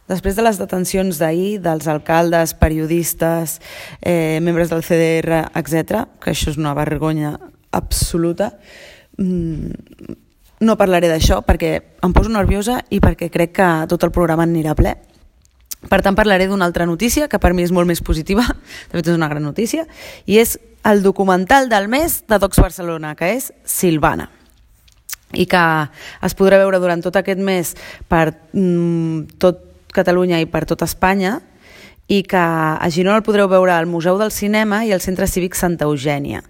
Després de les detencions d'ahir, dels alcaldes, periodistes, membres del CDR, etc., que això és una vergonya absoluta, no parlaré d'això perquè em poso nerviosa i perquè crec que tot el programa anirà ple. Per tant, parlaré d'una altra notícia, que per mi és molt més positiva, de fet és una gran notícia, i és el documental del mes de Docs Barcelona, que és Silvana, i que es podrà veure durant tot aquest mes per tot Catalunya i per tot Espanya, i que a Girona el podreu veure al Museu del Cinema i al Centre Cívic Santa Eugènia.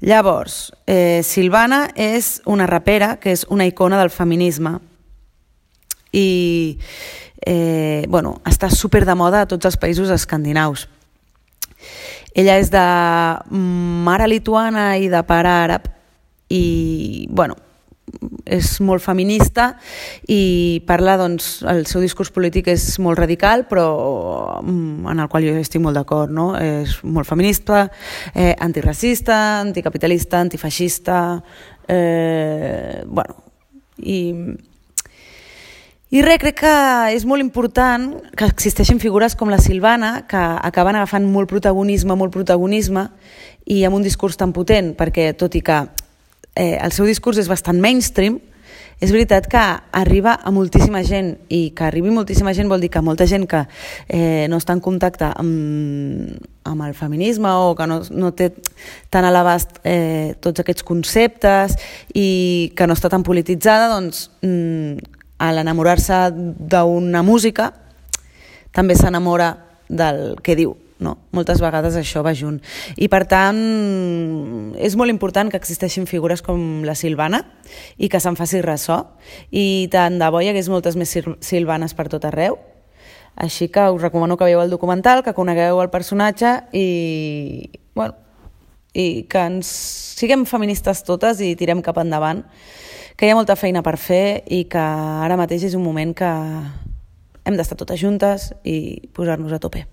Llavors, Silvana és una rapera que és una icona del feminisme i està super de moda a tots els països escandinaus. Ella és de mare lituana i de pare àrab i, és molt feminista i parla, doncs, el seu discurs polític és molt radical, però en el qual jo estic molt d'acord, no? És molt feminista, antiracista, anticapitalista, antifeixista, i res, crec que és molt important que existeixin figures com la Silvana, que acaben agafant molt protagonisme i amb un discurs tan potent, perquè tot i que el seu discurs és bastant mainstream, és veritat que arriba a moltíssima gent, i que arribi moltíssima gent vol dir que molta gent que no està en contacte amb el feminisme o que no té tan a l'abast tots aquests conceptes i que no està tan polititzada, doncs a l'enamorar-se d'una música també s'enamora del que diu, no? Moltes vegades això va junt. I per tant, és molt important que existeixin figures com la Silvana i que se'n faci ressò. I tant de bo hi hagués moltes més Silvanes per tot arreu. Així que us recomano que veieu el documental, que conegueu el personatge i que siguem feministes totes i tirem cap endavant, que hi ha molta feina per fer i que ara mateix és un moment que hem d'estar totes juntes i posar-nos a tope.